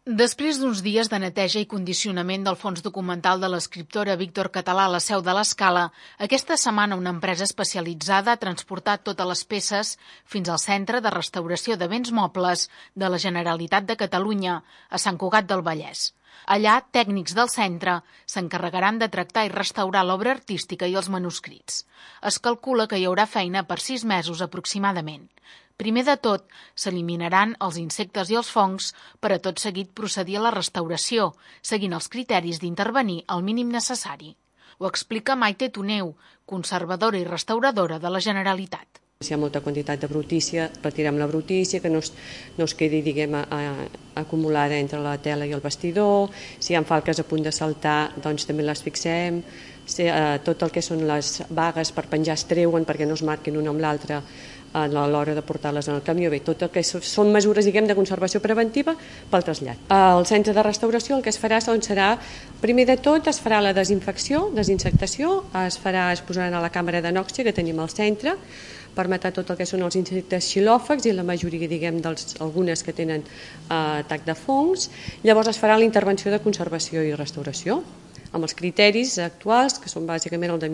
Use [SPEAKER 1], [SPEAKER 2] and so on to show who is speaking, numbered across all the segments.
[SPEAKER 1] Després d'uns dies de neteja i condicionament del fons documental de l'escriptora Víctor Català a la seu de l'Escala, aquesta setmana una empresa especialitzada ha transportat totes les peces fins al Centre de Restauració de Béns Mobles de la Generalitat de Catalunya, a Sant Cugat del Vallès. Allà, tècnics del centre s'encarregaran de tractar i restaurar l'obra artística i els manuscrits. Es calcula que hi haurà feina per 6 mesos aproximadament. Primer de tot, s'eliminaran els insectes i els fongs per a tot seguit procedir a la restauració, seguint els criteris d'intervenir el mínim necessari. Ho explica Maite Toneu, conservadora i restauradora de la Generalitat.
[SPEAKER 2] Si hi ha molta quantitat de brutícia, retirem la brutícia, que no es quedi, acumulada entre la tela i el vestidor. Si hi ha falques a punt de saltar, doncs també les fixem. Tot el que són les bagues per penjar es treuen perquè no es marquin una amb l'altra a l'hora de portar-les en el camió. Bé, tot el que són mesures, de conservació preventiva pel trasllat. Al centre de restauració el que es farà serà, primer de tot, es farà la desinsectació, es posaran a la càmera de nòxia que tenim al centre, per matar tot el que són els insectes xilòfags i la majoria, algunes que tenen atac de fongs. Llavors es farà la intervenció de conservació i restauració, amb els criteris actuals, que són bàsicament el de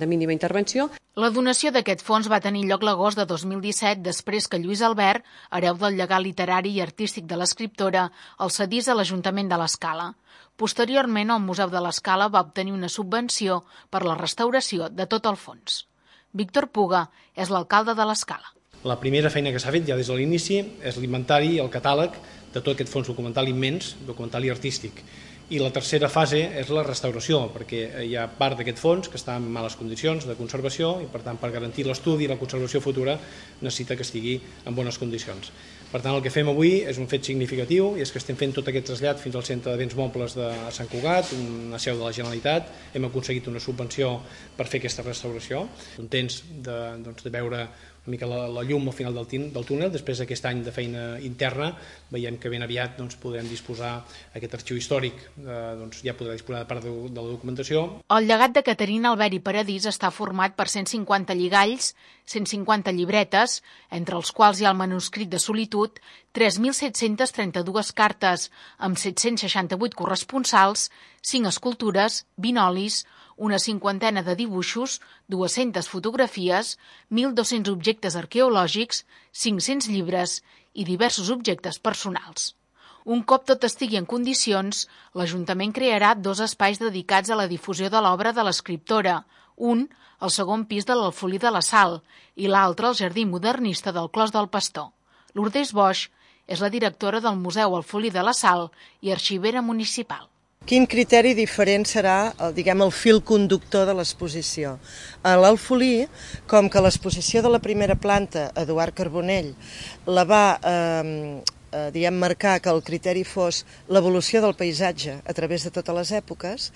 [SPEAKER 2] mínima intervenció.
[SPEAKER 1] La donació d'aquest fons va tenir lloc l'agost de 2017, després que Lluís Albert, hereu del llegat literari i artístic de l'escriptora, el cedís a l'Ajuntament de l'Escala. Posteriorment, el Museu de l'Escala va obtenir una subvenció per la restauració de tot el fons. Víctor Puga és l'alcalde de l'Escala.
[SPEAKER 3] La primera feina que s'ha fet ja des de l'inici és l'inventari i el catàleg de tot aquest fons documental immens, documental i artístic. I la tercera fase és la restauració, perquè hi ha part d'aquest fons que està en males condicions de conservació i, per tant, per garantir l'estudi i la conservació futura necessita que estigui en bones condicions. Per tant, el que fem avui és un fet significatiu i és que estem fent tot aquest trasllat fins al Centre de Béns Mobles de Sant Cugat, una seu de la Generalitat. Hem aconseguit una subvenció per fer aquesta restauració. Contents de veure una mica la llum al final del túnel. Després d'aquest any de feina interna veiem que ben aviat podrem disposar aquest arxiu històric, ja podrà disposar de part de la documentació.
[SPEAKER 1] El llegat de Caterina Albert i Paradís està format per 150 lligalls, 150 llibretes, entre els quals hi ha el manuscrit de solitud, 3.732 cartes amb 768 corresponsals, 5 escultures, 20 olis, una cinquantena de dibuixos, 200 fotografies, 1.200 objectes arqueològics, 500 llibres i diversos objectes personals. Un cop tot estigui en condicions, l'Ajuntament crearà 2 espais dedicats a la difusió de l'obra de l'escriptora, un al segon pis de l'Alfolí de la Sal i l'altre al Jardí Modernista del Clos del Pastor. Lourdes Boix és la directora del Museu Alfolí de la Sal i arxivera municipal.
[SPEAKER 4] Quin criteri diferent serà el fil conductor de l'exposició? A l'Alfolí, com que l'exposició de la primera planta, Eduard Carbonell, la va marcar que el criteri fos l'evolució del paisatge a través de totes les èpoques,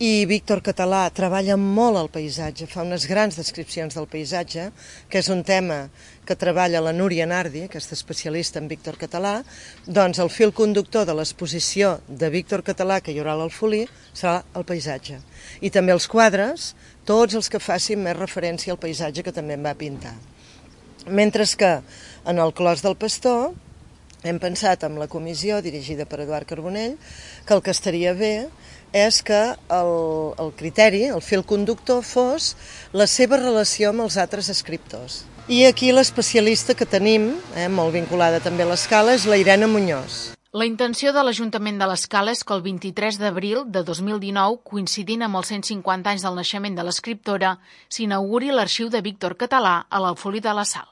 [SPEAKER 4] i Víctor Català treballa molt el paisatge, fa unes grans descripcions del paisatge, que és un tema que treballa la Núria Nardi, aquesta especialista en Víctor Català, doncs el fil conductor de l'exposició de Víctor Català que hi haurà a l'Alfolí serà el paisatge. I també els quadres, tots els que facin més referència al paisatge que també en va pintar. Mentre que en el Clos del Pastor hem pensat amb la comissió dirigida per Eduard Carbonell que el que estaria bé és que el criteri, el fil conductor, fos la seva relació amb els altres escriptors. I aquí l'especialista que tenim, molt vinculada també a l'Escala, és la Irene Muñoz.
[SPEAKER 1] La intenció de l'Ajuntament de l'Escala és que el 23 d'abril de 2019, coincidint amb els 150 anys del naixement de l'escriptora, s'inauguri l'arxiu de Víctor Català a l'Alfolí de la Sal.